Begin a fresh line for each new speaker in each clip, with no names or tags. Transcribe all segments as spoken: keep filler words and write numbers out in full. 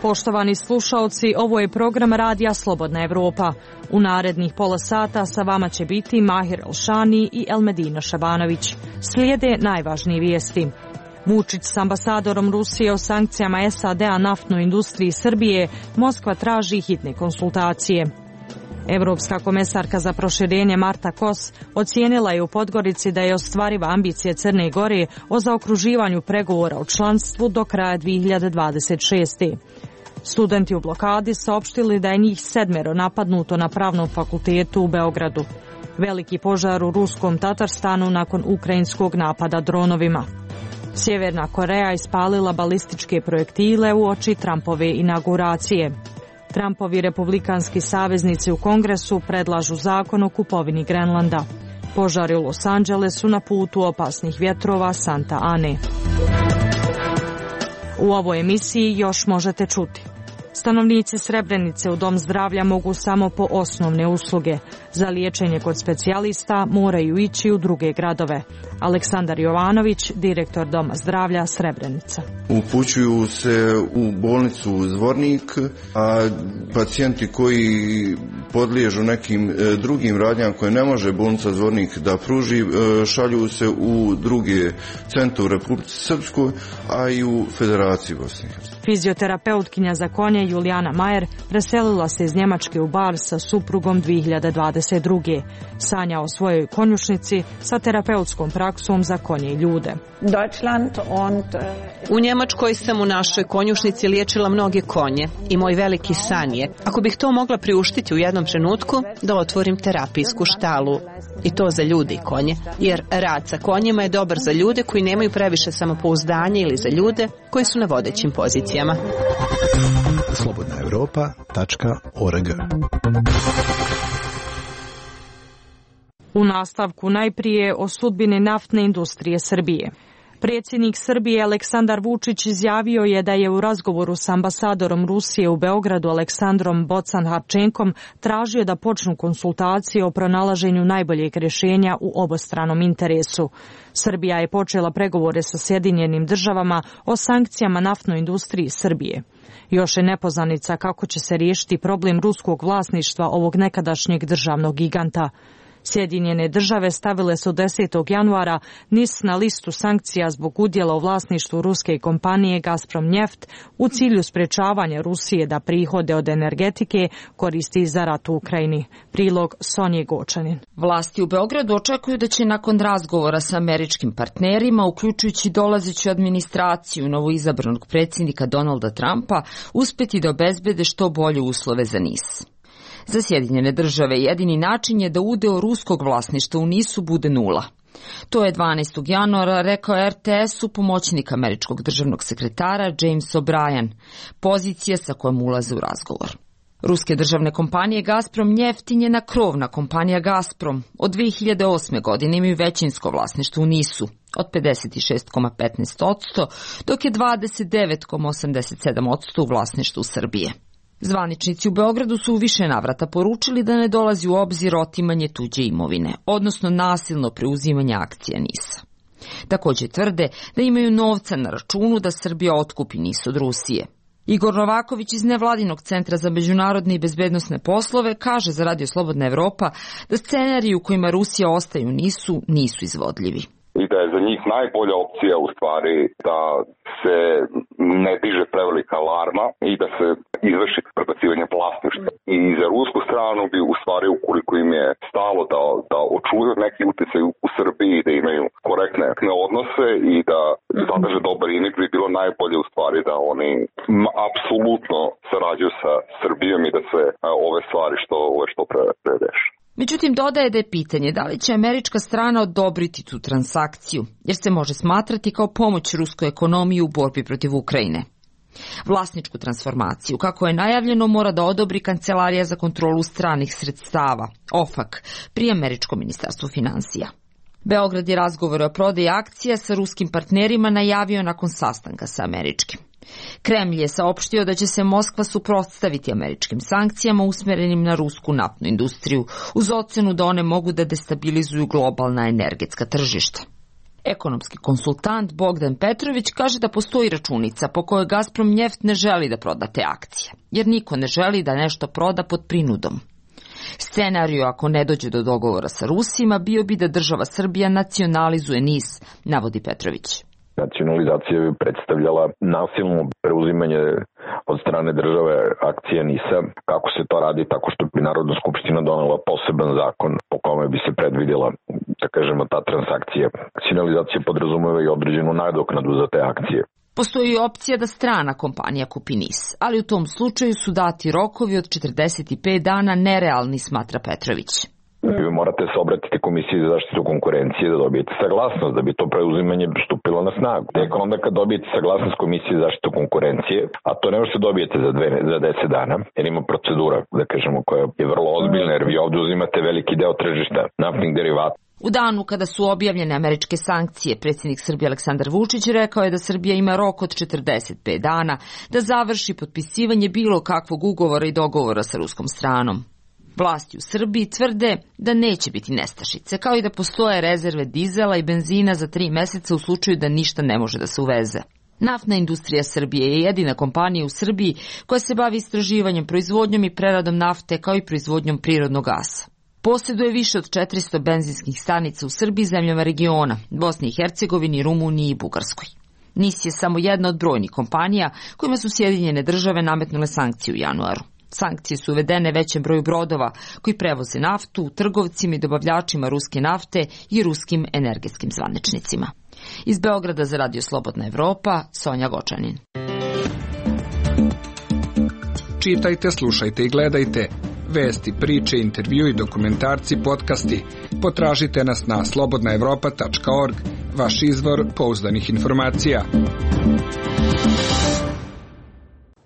Poštovani slušaoci, ovo je program Radija Slobodna Evropa. U narednih pola sata sa vama će biti Mahir Elšani i Elmedina Šabanović. Slijede najvažnije vijesti. Vučić s ambasadorom Rusije o sankcijama S A D-a naftnoj industriji Srbije, Moskva traži hitne konsultacije. Evropska komesarka za proširenje Marta Kos ocijenila je u Podgorici da je ostvariva ambicija Crne Gore o zaokruživanju pregovora o članstvu do kraja dvije hiljade dvadeset šeste. Studenti u blokadi saopštili da je njih sedmero napadnuto na Pravnom fakultetu u Beogradu. Veliki požar u ruskom Tatarstanu nakon ukrajinskog napada dronovima. Sjeverna Koreja ispalila balističke projektile uoči Trumpove inauguracije. Trumpovi republikanski saveznici u Kongresu predlažu zakon o kupovini Grenlanda. Požari u Los Angelesu na putu opasnih vjetrova Santa Ane. U ovoj emisiji još možete čuti. Stanovnici Srebrenice u dom zdravlja mogu samo po osnovne usluge. Za liječenje kod specijalista moraju ići u druge gradove. Aleksandar Jovanović, direktor doma zdravlja Srebrenica.
Upućuju se u bolnicu Zvornik, a pacijenti koji podliježu nekim drugim radnjama koje ne može bolnica Zvornik da pruži, šalju se u druge centre u Republici Srpskoj, a i u Federaciji Bosne i Hercegovine.
Fizioterapeutkinja za konje Julijana Majer preselila se iz Njemačke u Bar sa suprugom dvije hiljade dvadeset druge. Sanja o svojoj konjušnici sa terapeutskom praksom za konje i ljude.
U Njemačkoj sam u našoj konjušnici liječila mnoge konje i moj veliki san je, ako bih to mogla priuštiti u jednom trenutku, da otvorim terapijsku štalu. I to za ljude i konje, jer rad sa konjima je dobar za ljude koji nemaju previše samopouzdanja ili za ljude koji su na vodećim pozicijama.
slobodna europa tačka org.
U nastavku najprije o sudbini naftne industrije Srbije. Predsjednik Srbije Aleksandar Vučić izjavio je da je u razgovoru s ambasadorom Rusije u Beogradu Aleksandrom Bocan-Harčenkom tražio da počnu konsultacije o pronalaženju najboljeg rješenja u obostranom interesu. Srbija je počela pregovore sa Sjedinjenim državama o sankcijama naftnoj industriji Srbije. Još je nepoznanica kako će se riješiti problem ruskog vlasništva ovog nekadašnjeg državnog giganta. Sjedinjene države stavile su desetog januara N I S na listu sankcija zbog udjela u vlasništvu ruske kompanije Gazprom Neft u cilju sprečavanja Rusije da prihode od energetike koristi za rat u Ukrajini. Prilog Sonje Gočanin.
Vlasti u Beogradu očekuju da će nakon razgovora sa američkim partnerima, uključujući dolazeću administraciju novoizabranog predsjednika Donalda Trumpa, uspjeti da obezbede što bolje uslove za N I S. Za Sjedinjene države jedini način je da udeo ruskog vlasništva u N I S-u bude nula. To je dvanaestog januara rekao R T S-u pomoćnik američkog državnog sekretara James O'Brien, pozicija sa kojom ulaze u razgovor. Ruske državne kompanije Gazprom Neft i njena krovna kompanija Gazprom od dvije hiljade osme. godine imaju većinsko vlasništvo u N I S-u od pedeset šest zarez petnaest posto, dok je dvadeset devet zarez osamdeset sedam posto u vlasništvu Srbije. Zvaničnici u Beogradu su u više navrata poručili da ne dolazi u obzir otimanje tuđe imovine, odnosno nasilno preuzimanje akcija N I S-a. Također tvrde da imaju novca na računu da Srbija otkupi N I S od Rusije. Igor Novaković iz Nevladinog centra za međunarodne i bezbednosne poslove kaže za Radio Slobodna Evropa da scenariji u kojima Rusija ostaje u N I S-u nisu izvodljivi.
I da je za njih najbolja opcija u stvari da se ne diže prevelika alarma i da se izvrši prebacivanje vlasništva. I za rusku stranu bi u stvari, ukoliko im je stalo da, da očuvaju neki utjecaj u Srbiji, da imaju korektne odnose i da zadrže dobar imidž, bi bilo najbolje u stvari da oni apsolutno sarađuju sa Srbijom i da se ove stvari što, ove što pre, predeše.
Međutim, dodaje da je pitanje da li će američka strana odobriti tu transakciju, jer se može smatrati kao pomoć ruskoj ekonomiji u borbi protiv Ukrajine. Vlasničku transformaciju, kako je najavljeno, mora da odobri Kancelarija za kontrolu stranih sredstava, O F A C, pri američkom ministarstvu finansija. Beograd je razgovore o prodaji akcija sa ruskim partnerima najavio nakon sastanka sa američkim. Kremlj je saopštio da će se Moskva suprotstaviti američkim sankcijama usmjerenim na rusku naftnu industriju, uz ocenu da one mogu da destabilizuju globalna energetska tržišta. Ekonomski konsultant Bogdan Petrović kaže da postoji računica po kojoj Gazprom Njeft ne želi da proda te akcije, jer niko ne želi da nešto proda pod prinudom. Scenariju ako ne dođe do dogovora sa Rusima bio bi da država Srbija nacionalizuje N I S, navodi Petrović.
Nacionalizacija bi predstavljala nasilno preuzimanje od strane države akcije N I S-a. Kako se to radi? Tako što bi Narodna skupština donela poseban zakon po kome bi se predvidjela, da kažemo, ta transakcija. Nacionalizacija podrazumeva i određenu nadoknadu za te akcije.
Postoji i opcija da strana kompanija kupi N I S, ali u tom slučaju su dati rokovi od četrdeset pet dana nerealni, smatra Petrović.
Vi morate se obratiti Komisiji za zaštitu konkurencije da dobijete saglasnost, da bi to preuzimanje stupilo na snagu. Tek onda kad dobijete saglasnost Komisije za zaštitu konkurencije, a to ne možete dobijete za, dve, za deset dana, jer ima procedura, da kažemo, koja je vrlo ozbiljna, jer vi ovdje uzimate veliki deo tržišta naftnih derivata.
U danu kada su objavljene američke sankcije, predsjednik Srbije Aleksandar Vučić rekao je da Srbija ima rok od četrdeset pet dana da završi potpisivanje bilo kakvog ugovora i dogovora sa ruskom stranom. Vlasti u Srbiji tvrde da neće biti nestašice, kao i da postoje rezerve dizela i benzina za tri meseca u slučaju da ništa ne može da se uveze. Naftna industrija Srbije je jedina kompanija u Srbiji koja se bavi istraživanjem, proizvodnjom i preradom nafte, kao i proizvodnjom prirodnog gasa. Posjeduje više od četiristo benzinskih stanica u Srbiji, zemljama regiona, Bosni i Hercegovini, Rumuniji i Bugarskoj. N I S je samo jedna od brojnih kompanija kojima su Sjedinjene države nametnule sankcije u januaru. Sankcije su uvedene većem broju brodova koji prevoze naftu, trgovcima i dobavljačima ruske nafte i ruskim energetskim zvaničnicima. Iz Beograda za Radio Slobodna Evropa, Sonja Gočanin.
Čitajte, slušajte i gledajte. Vesti, priče, intervju i dokumentarci, podcasti. Potražite nas na slobodna evropa tačka org, vaš izvor pouzdanih informacija.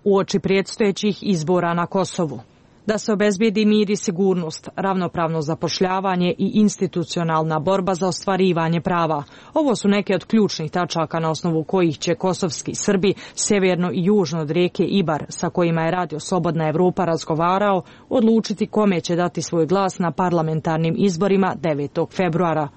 Uoči predstojećih izbora na Kosovu. Da se obezbedi mir i sigurnost, ravnopravno zapošljavanje i institucionalna borba za ostvarivanje prava. Ovo su neke od ključnih tačaka na osnovu kojih će kosovski Srbi severno i južno od rijeke Ibar, sa kojima je Radio Slobodna Evropa razgovarao, odlučiti kome će dati svoj glas na parlamentarnim izborima devetog februara.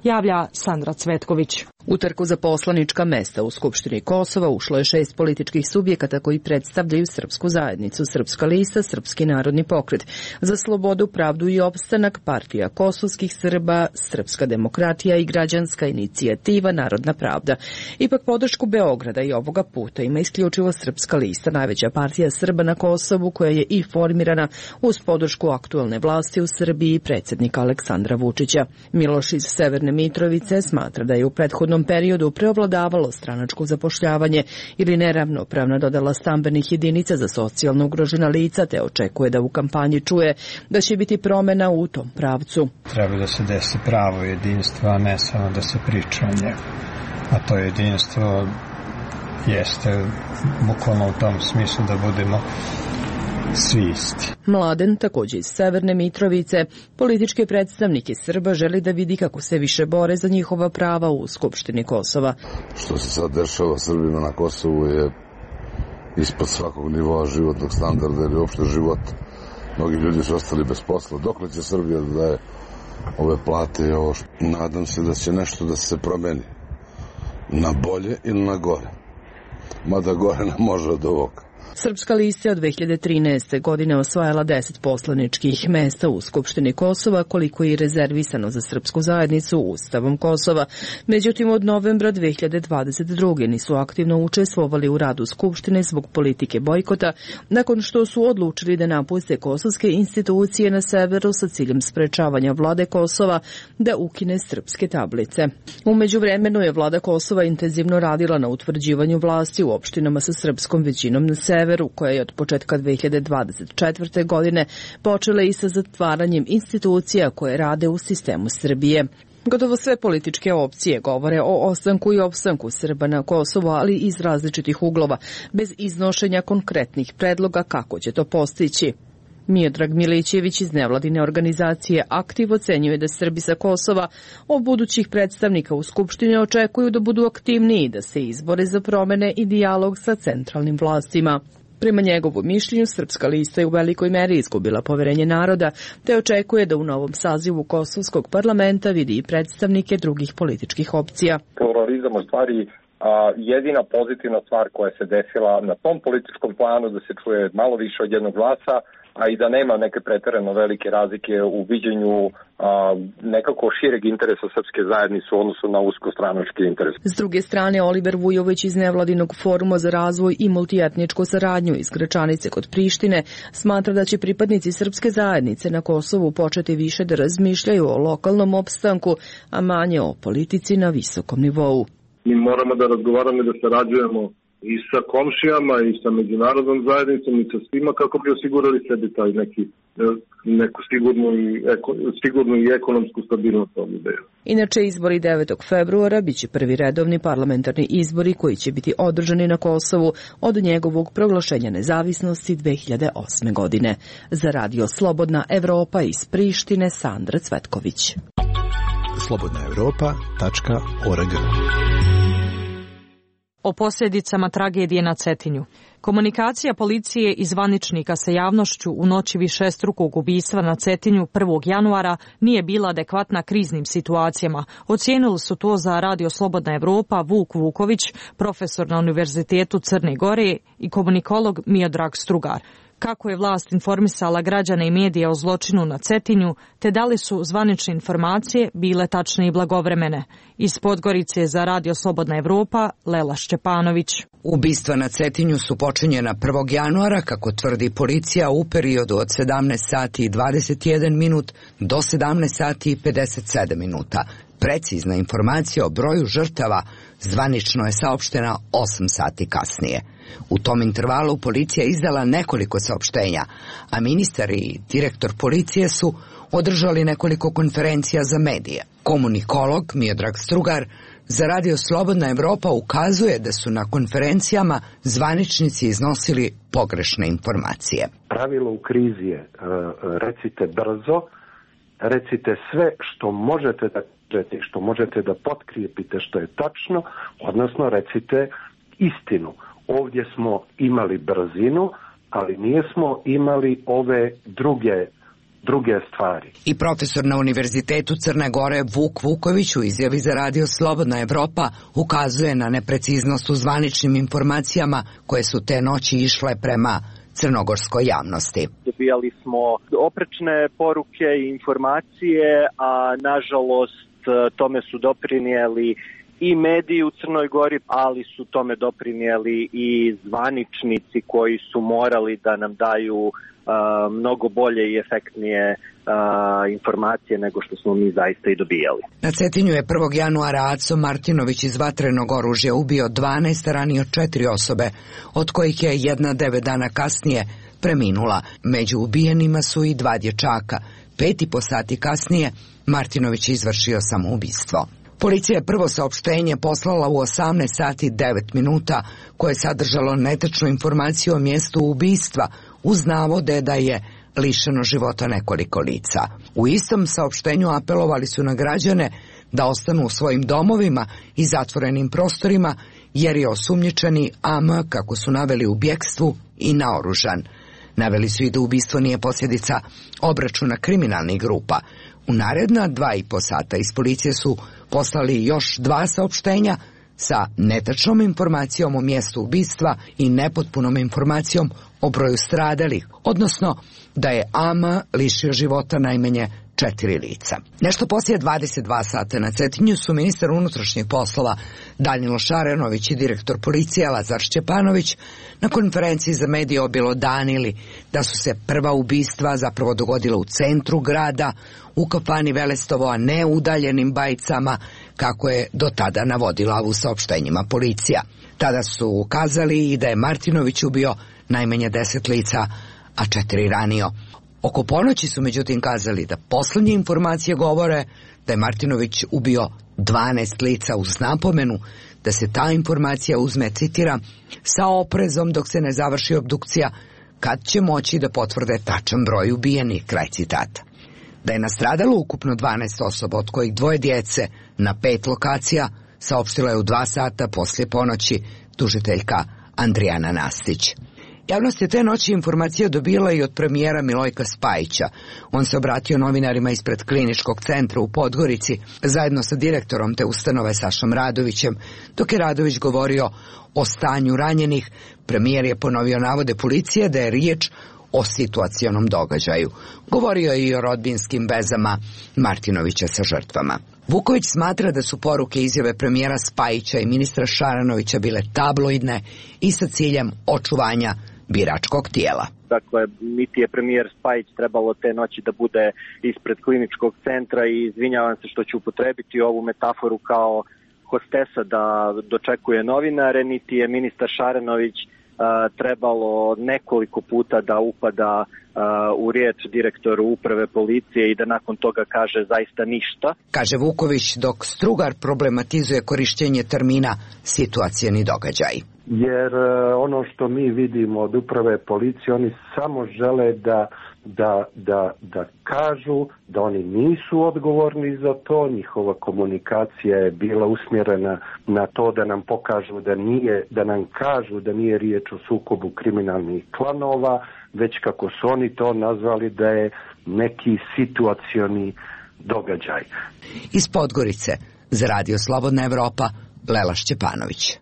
Javlja Sandra Cvetković.
U trku za poslanička mesta u Skupštini Kosova ušlo je šest političkih subjekata koji predstavljaju srpsku zajednicu: Srpska lista, Srpski narodni pokret za slobodu, pravdu i opstanak, Partija kosovskih Srba, Srpska demokratija i Građanska inicijativa Narodna pravda. Ipak podršku Beograda i ovoga puta ima isključivo Srpska lista, najveća partija Srba na Kosovu, koja je i formirana uz podršku aktuelne vlasti u Srbiji i predsjednika Aleksandra Vučića. Miloš iz Severne Mitrovice smatra da je u prethodnom periodu preovladavalo stranačko zapošljavanje ili neravnopravna dodala stambenih jedinica za socijalno ugrožena lica, te očekuje da u kampanji čuje da će biti promjena u tom pravcu.
Treba da se desi pravo jedinstvo, a ne samo da se priča o njemu. A to jedinstvo jeste bukvalno u tom smislu da budemo svi isti.
Mladen, također iz Severne Mitrovice, politički predstavnik iz Srba, želi da vidi kako se više bore za njihova prava u Skupštini Kosova.
Što se sad dešava Srbima na Kosovu je ispod svakog nivoa životnog standarda ili uopšte života. Mnogi ljudi su ostali bez posla. Dokle će Srbija da daje ove plate i ovo? Nadam se da će nešto da se promeni. Na bolje ili na gore. Mada gore ne može od ovoga.
Srpska lista od dve hiljade trinaeste. godine osvajala deset poslaničkih mesta u Skupštini Kosova, koliko je rezervisano za srpsku zajednicu Ustavom Kosova. Međutim, od novembra dve hiljade dvadeset druge. nisu aktivno učestvovali u radu Skupštine zbog politike bojkota, nakon što su odlučili da napuste kosovske institucije na severu sa ciljem sprečavanja vlade Kosova da ukine srpske tablice. U međuvremenu je vlada Kosova intenzivno radila na utvrđivanju vlasti u opštinama sa srpskom većinom na severu, koja je od početka dve hiljade dvadeset četvrte. godine počela i sa zatvaranjem institucija koje rade u sistemu Srbije. Gotovo sve političke opcije govore o ostanku i opstanku Srba na Kosovu, ali iz različitih uglova, bez iznošenja konkretnih predloga kako će to postići. Miodrag Milićević iz nevladine organizacije Aktiv ocenjuje da Srbi sa Kosova od budućih predstavnika u Skupštini očekuju da budu aktivniji, da se izbore za promene i dijalog sa centralnim vlastima. Prema njegovom mišljenju, Srpska lista je u velikoj meri izgubila poverenje naroda, te očekuje da u novom sazivu Kosovskog parlamenta vidi i predstavnike drugih političkih opcija.
Pluralizam u stvari a, jedina pozitivna stvar koja se desila na tom političkom planu, da se čuje malo više od jednog glasa, a i da nema neke preterano velike razlike u viđenju a, nekako šireg interesa srpske zajednice u odnosu na uskostranački interes.
S druge strane, Oliver Vujović iz Nevladinog foruma za razvoj i multietničku saradnju iz Gračanice kod Prištine smatra da će pripadnici srpske zajednice na Kosovu početi više da razmišljaju o lokalnom opstanku, a manje o politici na visokom nivou.
Mi moramo da razgovaramo i da sarađujemo i sa komšijama i sa međunarodnom zajednicom i sa svima kako bi osigurali sebi taj neki, neku sigurnu i, eko, sigurnu i ekonomsku stabilnost ovdje.
Inače, izbori devetog februara biće prvi redovni parlamentarni izbori koji će biti održani na Kosovu od njegovog proglašenja nezavisnosti dve hiljade osme. godine. Za Radio Slobodna Evropa iz Prištine, Sandra Cvetković.
slobodna evropa tačka org.
O posljedicama tragedije na Cetinju. Komunikacija policije i zvaničnika sa javnošću u noći višestrukog ubistva na Cetinju prvog januara nije bila adekvatna kriznim situacijama. Ocijenili su to za Radio Slobodna Evropa Vuk Vuković, profesor na Univerzitetu Crne Gore i komunikolog Miodrag Strugar. Kako je vlast informisala građane i medije o zločinu na Cetinju, te da li su zvanične informacije bile tačne i blagovremene. Iz Podgorice za Radio Slobodna Evropa, Lela Šćepanović.
Ubistva na Cetinju su počinjena prvog januara, kako tvrdi policija, u periodu od sedamnaest sati i dvadeset jedan minut do sedamnaest sati i pedeset sedam minuta. Precizna informacija o broju žrtava zvanično je saopštena osam sati kasnije. U tom intervalu policija izdala nekoliko saopštenja, a ministar i direktor policije su održali nekoliko konferencija za medije. Komunikolog Miodrag Strugar za Radio Slobodna Evropa ukazuje da su na konferencijama zvaničnici iznosili pogrešne informacije.
Pravilo u krizi je recite brzo, recite sve što možete da kažete, što možete da potkrijepite što je tačno, odnosno recite istinu. Ovdje smo imali brzinu, ali nismo imali ove druge, druge stvari.
I profesor na Univerzitetu Crne Gore Vuk Vuković u izjavi za Radio Slobodna Evropa ukazuje na nepreciznost u zvaničnim informacijama koje su te noći išle prema crnogorskoj javnosti.
Dobijali smo oprečne poruke i informacije, a nažalost tome su doprinijeli i mediji u Crnoj Gori, ali su tome doprinijeli i zvaničnici koji su morali da nam daju uh, mnogo bolje i efektnije uh, informacije nego što smo mi zaista i dobijali.
Na Cetinju je prvog januara Aco Martinović iz vatrenog oružja ubio dvanaest, ranio četiri osobe, od kojih je jedna devet dana kasnije preminula. Među ubijenima su i dva dječaka. Pet i po sati kasnije Martinović je izvršio samoubistvo. Policija je prvo saopštenje poslala u osamnaest sati devet minuta, koje je sadržalo netačnu informaciju o mjestu ubistva, uz navode da je lišeno života nekoliko lica. U istom saopštenju apelovali su na građane da ostanu u svojim domovima i zatvorenim prostorima, jer je osumnjičeni A M, kako su naveli, u bjekstvu i naoružan. Naveli su i da ubistvo nije posljedica obračuna kriminalnih grupa. U naredna dva i po sata iz policije su poslali još dva saopštenja sa netačnom informacijom o mjestu ubistva i nepotpunom informacijom o broju stradalih, odnosno da je A M lišio života najmanje četiri lica. Nešto poslije dvadeset dva sata na Cetinju su ministar unutrašnjih poslova Danilo Šarenović i direktor policije Lazar Šćepanović na konferenciji za medije objelodanili da su se prva ubistva zapravo dogodila u centru grada, u kafani Velestovo, a ne u udaljenim Bajicama, kako je do tada navodila u saopštenjima policija. Tada su ukazali i da je Martinović ubio najmanje deset lica, a četiri ranio. Oko ponoći su međutim kazali da posljednje informacije govore da je Martinović ubio dvanaest lica, uz napomenu da se ta informacija uzme, citiram, sa oprezom dok se ne završi obdukcija, kad će moći da potvrde tačan broj ubijenih, kraj citata. Da je nastradalo ukupno dvanaest osoba, od kojih dvoje djece, na pet lokacija, saopštila je u dva sata poslije ponoći tužiteljka Andrijana Nastić. Javnost je te noći informacije dobila i od premijera Milojka Spajića. On se obratio novinarima ispred kliničkog centra u Podgorici zajedno sa direktorom te ustanove Sašom Radovićem. Dok je Radović govorio o stanju ranjenih, premijer je ponovio navode policije da je riječ o situacionom događaju. Govorio je i o rodbinskim vezama Martinovića sa žrtvama. Vuković smatra da su poruke izjave premijera Spajića i ministra Šaranovića bile tabloidne i sa ciljem očuvanja biračkog tijela.
Dakle, niti je premijer Spajić trebalo te noći da bude ispred kliničkog centra i izvinjavam se što ću upotrebiti ovu metaforu kao hostesa da dočekuje novinare, niti je ministar Šaranović trebalo nekoliko puta da upada u riječ direktoru uprave policije i da nakon toga kaže zaista ništa.
Kaže Vuković, dok Strugar problematizuje korištenje termina situacioni događaj.
Jer ono što mi vidimo od uprave policije, oni samo žele da, da, da, da kažu da oni nisu odgovorni za to, njihova komunikacija je bila usmjerena na to da nam pokažu da nije, da nam kažu da nije riječ o sukobu kriminalnih klanova, već kako su oni to nazvali da je neki situacioni događaj.
Iz Podgorice za Radio Slobodna Evropa, Lela Šćepanović.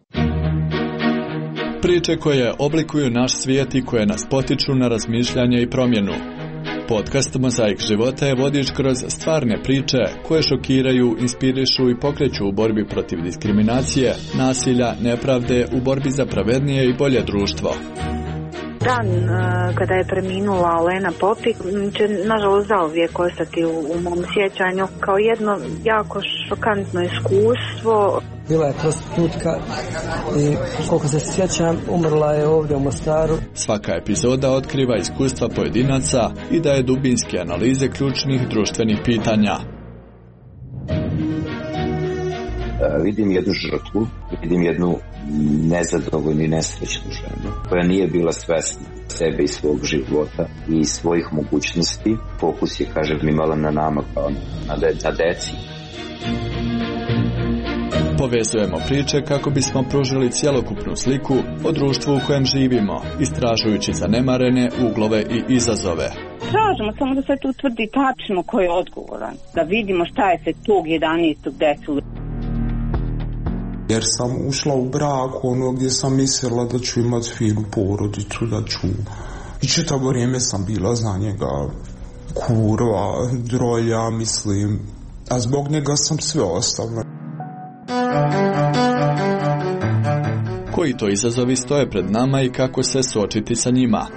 Priče koje oblikuju naš svijet i koje nas potiču na razmišljanje i promjenu. Podcast Mozaik života je vodič kroz stvarne priče koje šokiraju, inspirišu i pokreću u borbi protiv diskriminacije, nasilja, nepravde, u borbi za pravednije i bolje društvo.
Dan kada je preminula Olena Popik će nažalost zauvijek ostati u, u mom sjećanju kao jedno jako šokantno iskustvo.
Bila je prostitutka i koliko se sjećam umrla je ovdje u Mostaru.
Svaka epizoda otkriva iskustva pojedinaca i daje dubinske analize ključnih društvenih pitanja.
Vidim jednu žrtvu, vidim jednu nezadovoljnu i nesrećnu ženu koja nije bila svesna sebe i svog života i svojih mogućnosti. Fokus je, kažem, imala na nama kao na, de, na deci.
Povezujemo priče kako bismo pružili cjelokupnu sliku o društvu u kojem živimo, istražujući zanemarene uglove i izazove.
Tražimo samo da se tu utvrdi tačno ko je odgovoran, da vidimo šta je se tog jedanaestog desilo.
Jer sam ušla u brak ono gdje sam mislila da ću imati finu porodicu, da ću... I čitavo vrijeme sam bila za njega kurva, drolja, mislim, a zbog njega sam sve ostavila.
Koji to izazovi stoje pred nama i kako se suočiti sa njima?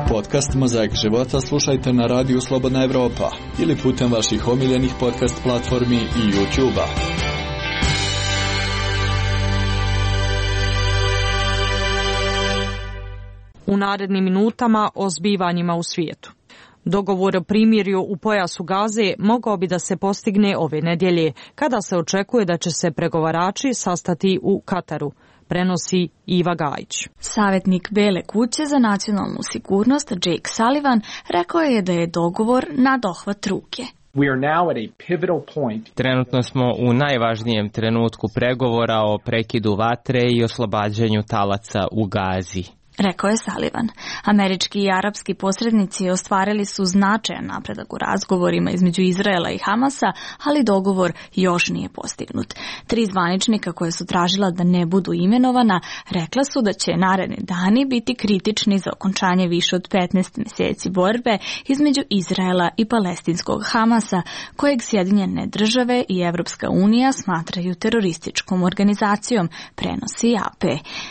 Podcast Mozaik života slušajte na radiju Slobodna Evropa ili putem vaših omiljenih podcast platformi i YouTube-a.
U narednim minutama o zbivanjima u svijetu. Dogovor o primirju u pojasu Gaze mogao bi da se postigne ove nedjelje, kada se očekuje da će se pregovarači sastati u Kataru, prenosi Iva Gajić.
Savjetnik Bele kuće za nacionalnu sigurnost Jake Sullivan rekao je da je dogovor na dohvat ruke.
We are now at a pivotal point. Trenutno smo u najvažnijem trenutku pregovora o prekidu vatre i oslobađanju talaca u Gazi,
rekao je Sullivan. Američki i arapski posrednici ostvarili su značajan napredak u razgovorima između Izraela i Hamasa, ali dogovor još nije postignut. Tri zvaničnika koje su tražila da ne budu imenovana rekla su da će naredni dani biti kritični za okončanje više od petnaest mjeseci borbe između Izraela i palestinskog Hamasa, kojeg Sjedinjene države i Evropska unija smatraju terorističkom organizacijom, prenosi A P.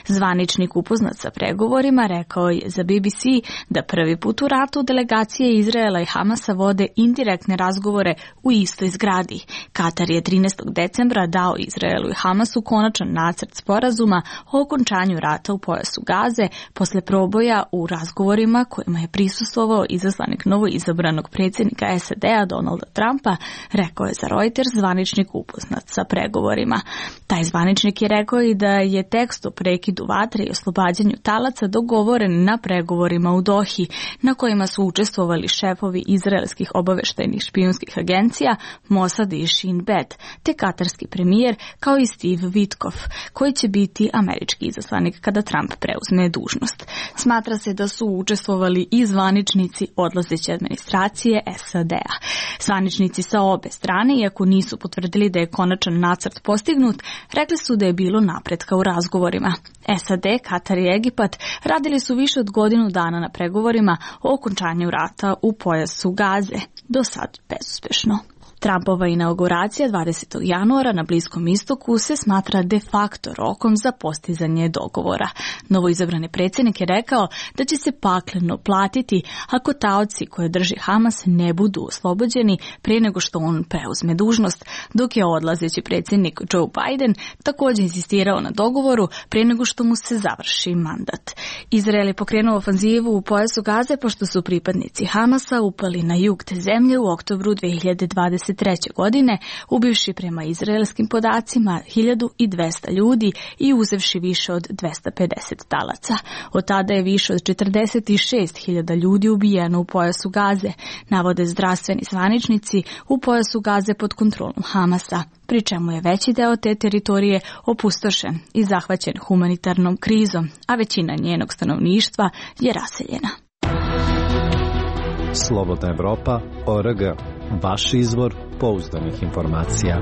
Zvaničnik upoznat sa pregovorima rekao je za B B C da prvi put u ratu delegacije Izraela i Hamasa vode indirektne razgovore u istoj zgradi. Katar je trinaestog decembra dao Izraelu i Hamasu konačan nacrt sporazuma o okončanju rata u pojasu Gaze posle proboja u razgovorima kojima je prisustvovao izaslanik novoizabranog predsjednika S A D-a Donalda Trumpa, rekao je za Reuters zvaničnik upoznat sa pregovorima. Taj zvaničnik je rekao i da je tekst o prekidu vatre i oslobađanju talaca Hamasa dogovoren na pregovorima u Dohi, na kojima su učestvovali šefovi izraelskih obaveštajnih špijunskih agencija Mossad i Shin Bet, te katarski premijer kao i Steve Witkoff, koji će biti američki izaslanik kada Trump preuzme dužnost. Smatra se da su učestvovali i zvaničnici odlazeće administracije S A D-a. Zvaničnici sa obe strane, iako nisu potvrdili da je konačan nacrt postignut, rekli su da je bilo napretka u razgovorima. S A D, Katar i Egipat radili su više od godinu dana na pregovorima o okončanju rata u pojasu Gaze, do sad bezuspešno. Trumpova inauguracija dvadesetog januara na Bliskom istoku se smatra de facto rokom za postizanje dogovora. Novoizabrani predsjednik je rekao da će se pakleno platiti ako taoci koje drži Hamas ne budu oslobođeni prije nego što on preuzme dužnost, dok je odlazeći predsjednik Joe Biden također insistirao na dogovoru prije nego što mu se završi mandat. Izrael je pokrenuo ofanzivu u pojasu Gaze pošto su pripadnici Hamasa upali na jug te zemlje u oktobru dve hiljade dvadeset treće. godine, ubivši prema izraelskim podacima hiljadu dvesta ljudi i uzevši više od dvesta pedeset talaca. Od tada je više od četrdeset šest hiljada ljudi ubijeno u pojasu Gaze, navode zdravstveni zvaničnici u pojasu Gaze pod kontrolom Hamasa, pri čemu je veći deo te teritorije opustošen i zahvaćen humanitarnom krizom, a većina njenog stanovništva je raseljena.
Slobodna Evropa, O R G. Vaš izvor pouzdanih informacija.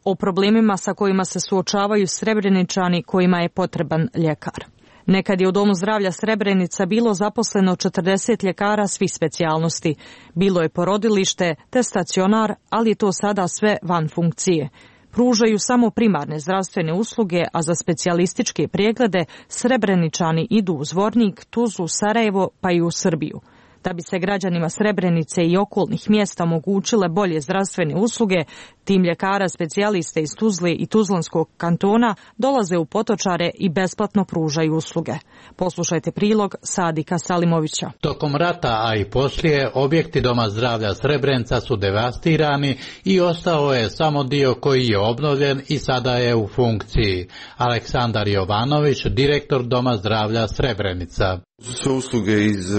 O problemima sa kojima se suočavaju Srebreničani kojima je potreban ljekar. Nekad je u Domu zdravlja Srebrenica bilo zaposleno četrdeset ljekara svih specijalnosti. Bilo je porodilište te stacionar, ali je to sada sve van funkcije. Pružaju samo primarne zdravstvene usluge, a za specijalističke preglede Srebreničani idu u Zvornik, Tuzlu, Sarajevo pa i u Srbiju. Da bi se građanima Srebrenice i okolnih mjesta omogućile bolje zdravstvene usluge, tim ljekara specijaliste iz Tuzle i Tuzlanskog kantona dolaze u Potočare i besplatno pružaju usluge. Poslušajte prilog Sadika Salimovića.
Tokom rata, a i poslije, objekti Doma zdravlja Srebrenica su devastirani i ostao je samo dio koji je obnovljen i sada je u funkciji. Aleksandar Jovanović, direktor Doma zdravlja Srebrenica.
Sve usluge iz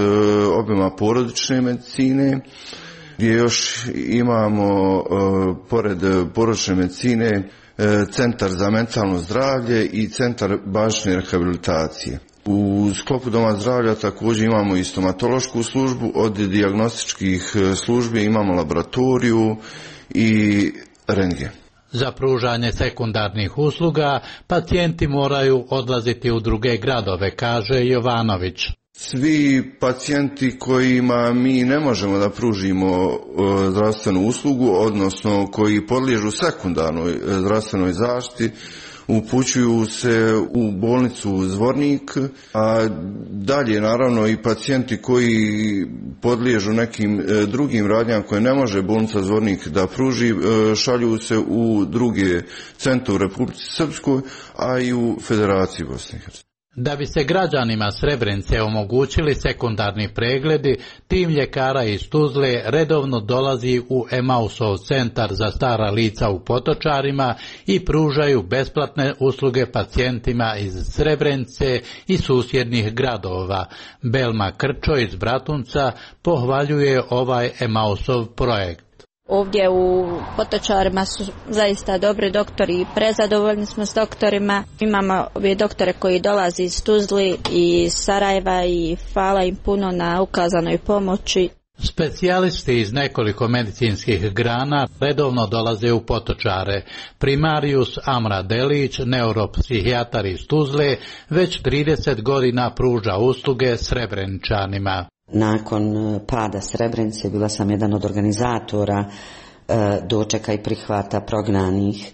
obima porodične medicine, gdje još imamo, pored porodične medicine, centar za mentalno zdravlje i centar bazične rehabilitacije. U sklopu Doma zdravlja također imamo i stomatološku službu, od dijagnostičkih službi imamo laboratoriju i rentgen.
Za pružanje sekundarnih usluga pacijenti moraju odlaziti u druge gradove, kaže Jovanović.
Svi pacijenti kojima mi ne možemo da pružimo zdravstvenu uslugu, odnosno koji podliježu sekundarnoj zdravstvenoj zaštiti, upućuju se u bolnicu Zvornik, a dalje naravno i pacijenti koji podliježu nekim drugim radnjama koje ne može bolnica Zvornik da pruži, šalju se u druge centre u Republici Srpskoj, a i u Federaciji Bosne i Hercegovine.
Da bi se građanima Srebrenice omogućili sekundarni pregledi, tim ljekara iz Tuzle redovno dolazi u Emausov centar za stara lica u Potočarima i pružaju besplatne usluge pacijentima iz Srebrenice i susjednih gradova. Belma Krčo iz Bratunca pohvaljuje ovaj Emausov projekt.
Ovdje u Potočarima su zaista dobri doktori i prezadovoljni smo s doktorima. Imamo ove doktore koji dolaze iz Tuzli i Sarajeva i hvala im puno na ukazanoj pomoći.
Specijalisti iz nekoliko medicinskih grana redovno dolaze u Potočare. Primarius Amra Delić, neuropsihijatar iz Tuzle, već trideset godina pruža usluge Srebreničanima.
Nakon pada Srebrenice bila sam jedan od organizatora dočeka i prihvata prognanih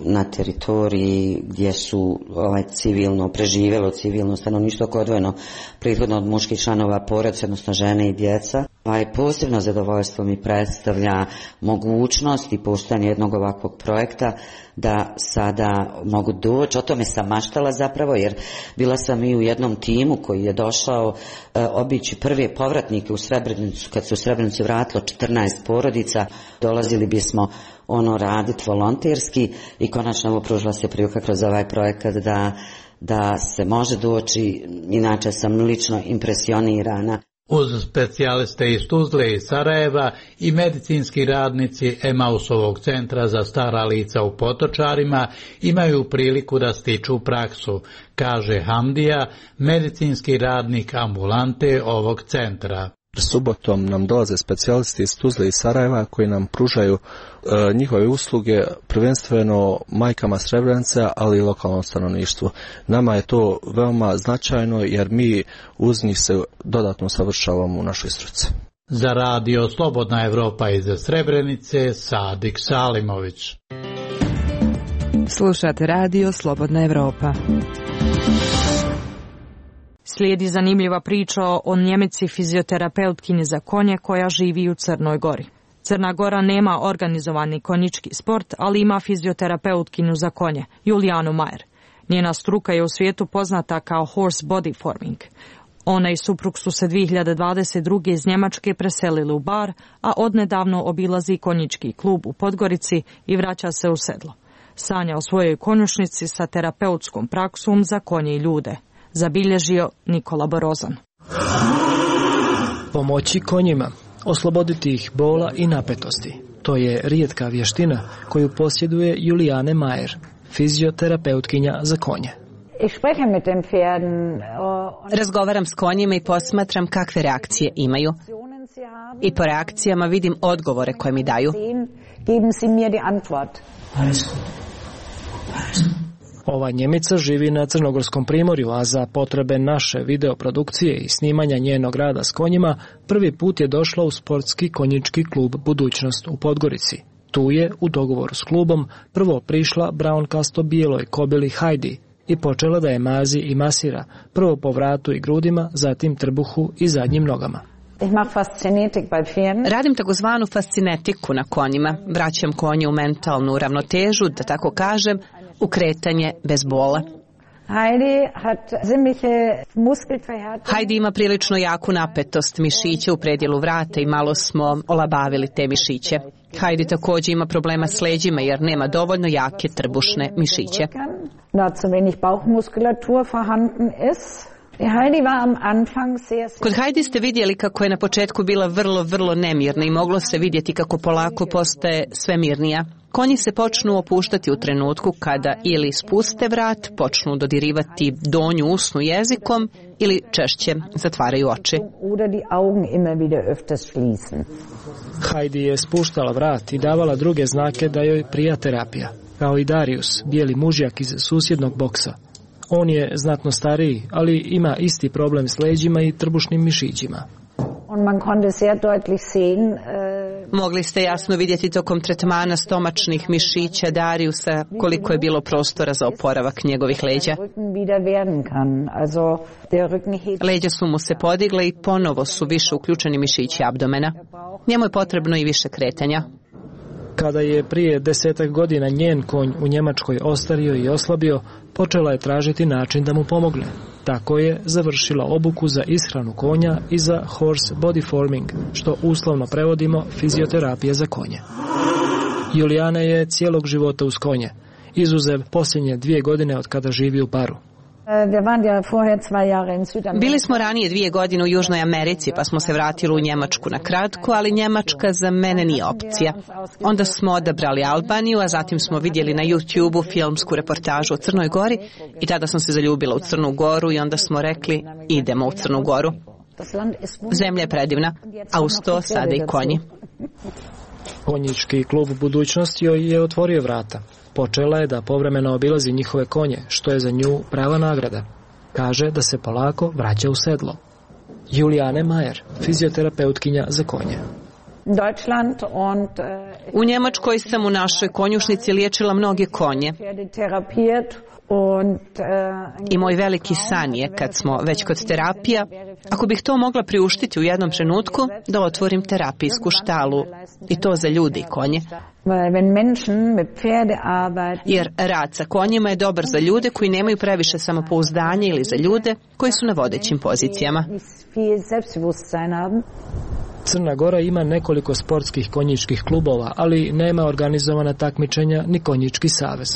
na teritoriji gdje su ovaj civilno preživjelo civilno stanovništvo koje je odvojeno prethodno od muških članova porodice, odnosno žene i djeca. Ovaj posebno zadovoljstvo mi predstavlja mogućnost i postojanje jednog ovakvog projekta da sada mogu doći. O tome sam maštala zapravo, jer bila sam i u jednom timu koji je došao e, obići prve povratnike u Srebrenicu. Kad se u Srebrenicu vratilo četrnaest porodica, dolazili bismo ono raditi volonterski i konačno pružila se prilika kroz ovaj projekat da, da se može doći. Inače sam lično impresionirana.
Uz specijaliste iz Tuzle i Sarajeva i medicinski radnici Emausovog centra za stara lica u Potočarima imaju priliku da stiču praksu, kaže Hamdija, medicinski radnik ambulante ovog centra.
Subotom nam dolaze specijalisti iz Tuzle i Sarajeva koji nam pružaju e, njihove usluge prvenstveno majkama Srebrenica, ali i lokalnom stanovništvu. Nama je to veoma značajno jer mi uz njih se dodatno savršavamo u našoj struci.
Za radio Slobodna Evropa iz Srebrenice, Sadik Salimović.
Slušate radio Slobodna Evropa.
Slijedi zanimljiva priča o Njemici fizioterapeutkinji za konje koja živi u Crnoj Gori. Crna Gora nema organizovani konjički sport, ali ima fizioterapeutkinju za konje, Julijanu Majer. Njena struka je u svijetu poznata kao horse body forming. Ona i suprug su se dvije hiljade dvadeset druge iz Njemačke preselili u Bar, a odnedavno obilazi konjički klub u Podgorici i vraća se u sedlo. Sanja o svojoj konjušnici sa terapeutskom praksom za konje i ljude. Zabilježio Nikola Borozan.
Pomoći konjima, osloboditi ih bola i napetosti. To je rijetka vještina koju posjeduje Julijane Majer, fizioterapeutkinja za konje.
Razgovaram s konjima i posmatram kakve reakcije imaju. I po reakcijama vidim odgovore koje mi daju.
Ova Njemica živi na Crnogorskom primorju, a za potrebe naše videoprodukcije i snimanja njenog rada s konjima prvi put je došla u sportski konjički klub Budućnost u Podgorici. Tu je, u dogovoru s klubom, prvo prišla braunkasto bijeloj kobili Heidi i počela da je mazi i masira, prvo po vratu i grudima, zatim trbuhu i zadnjim nogama.
Radim takozvanu fascinetiku na konjima. Vraćam konje u mentalnu ravnotežu, da tako kažem, u kretanje bez bola. Heidi ima prilično jaku napetost mišića u predjelu vrata i malo smo olabavili te mišiće. Heidi također ima problema s leđima jer nema dovoljno jake trbušne mišiće. Kod Heidi ste vidjeli kako je na početku bila vrlo, vrlo nemirna i moglo se vidjeti kako polako postaje sve mirnija. Konji se počnu opuštati u trenutku kada ili spuste vrat, počnu dodirivati donju usnu jezikom ili češće zatvaraju oči.
Heidi je spuštala vrat i davala druge znake da joj prija terapija, kao i Darius, bijeli mužjak iz susjednog boksa. On je znatno stariji, ali ima isti problem s leđima i trbušnim mišićima.
Mogli ste jasno vidjeti tokom tretmana stomačnih mišića Dariusa koliko je bilo prostora za oporavak njegovih leđa. Leđa su mu se podigle i ponovo su više uključeni mišići abdomena. Njemu je potrebno i više kretanja.
Kada je prije desetak godina njen konj u Njemačkoj ostario i oslabio, počela je tražiti način da mu pomogne. Tako je završila obuku za ishranu konja i za horse body forming, što uslovno prevodimo fizioterapije za konje. Julijana je cijelog života uz konje, izuzev posljednje dvije godine od kada živi u Baru.
Bili smo ranije dvije godine u Južnoj Americi, pa smo se vratili u Njemačku na kratko, ali Njemačka za mene nije opcija. Onda smo odabrali Albaniju, a zatim smo vidjeli na YouTube-u filmsku reportažu o Crnoj Gori i tada sam se zaljubila u Crnu Goru i onda smo rekli idemo u Crnu Goru. Zemlja je predivna, a uz to sada i konji.
Konjički klub Budućnost joj je otvorio vrata. Počela je da povremeno obilazi njihove konje, što je za nju prava nagrada. Kaže da se polako vraća u sedlo. Julijane Majer, fizioterapeutkinja za konje.
U Njemačkoj sam u našoj konjušnici liječila mnoge konje. I moj veliki san je, kad smo već kod terapija, Ako bih to mogla priuštiti u jednom trenutku, da otvorim terapijsku štalu. I to za ljudi i konje. Jer rad sa konjima je dobar za ljude koji nemaju previše samopouzdanja ili za ljude koji su na vodećim pozicijama.
Crna Gora ima nekoliko sportskih konjičkih klubova, ali nema organizovana takmičenja ni konjički savez.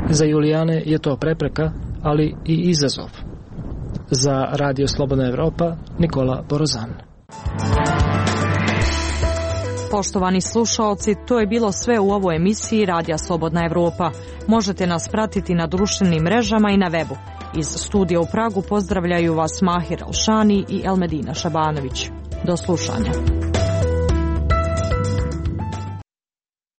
Za Julijane je to prepreka, ali i izazov. Za Radio Slobodna Evropa, Nikola Borozan.
Poštovani slušaoci, to je bilo sve u ovoj emisiji Radija Slobodna Evropa. Možete nas pratiti na društvenim mrežama i na webu. Iz studija u Pragu pozdravljaju vas Mahir Alšani i Elmedina Šabanović. Do slušanja.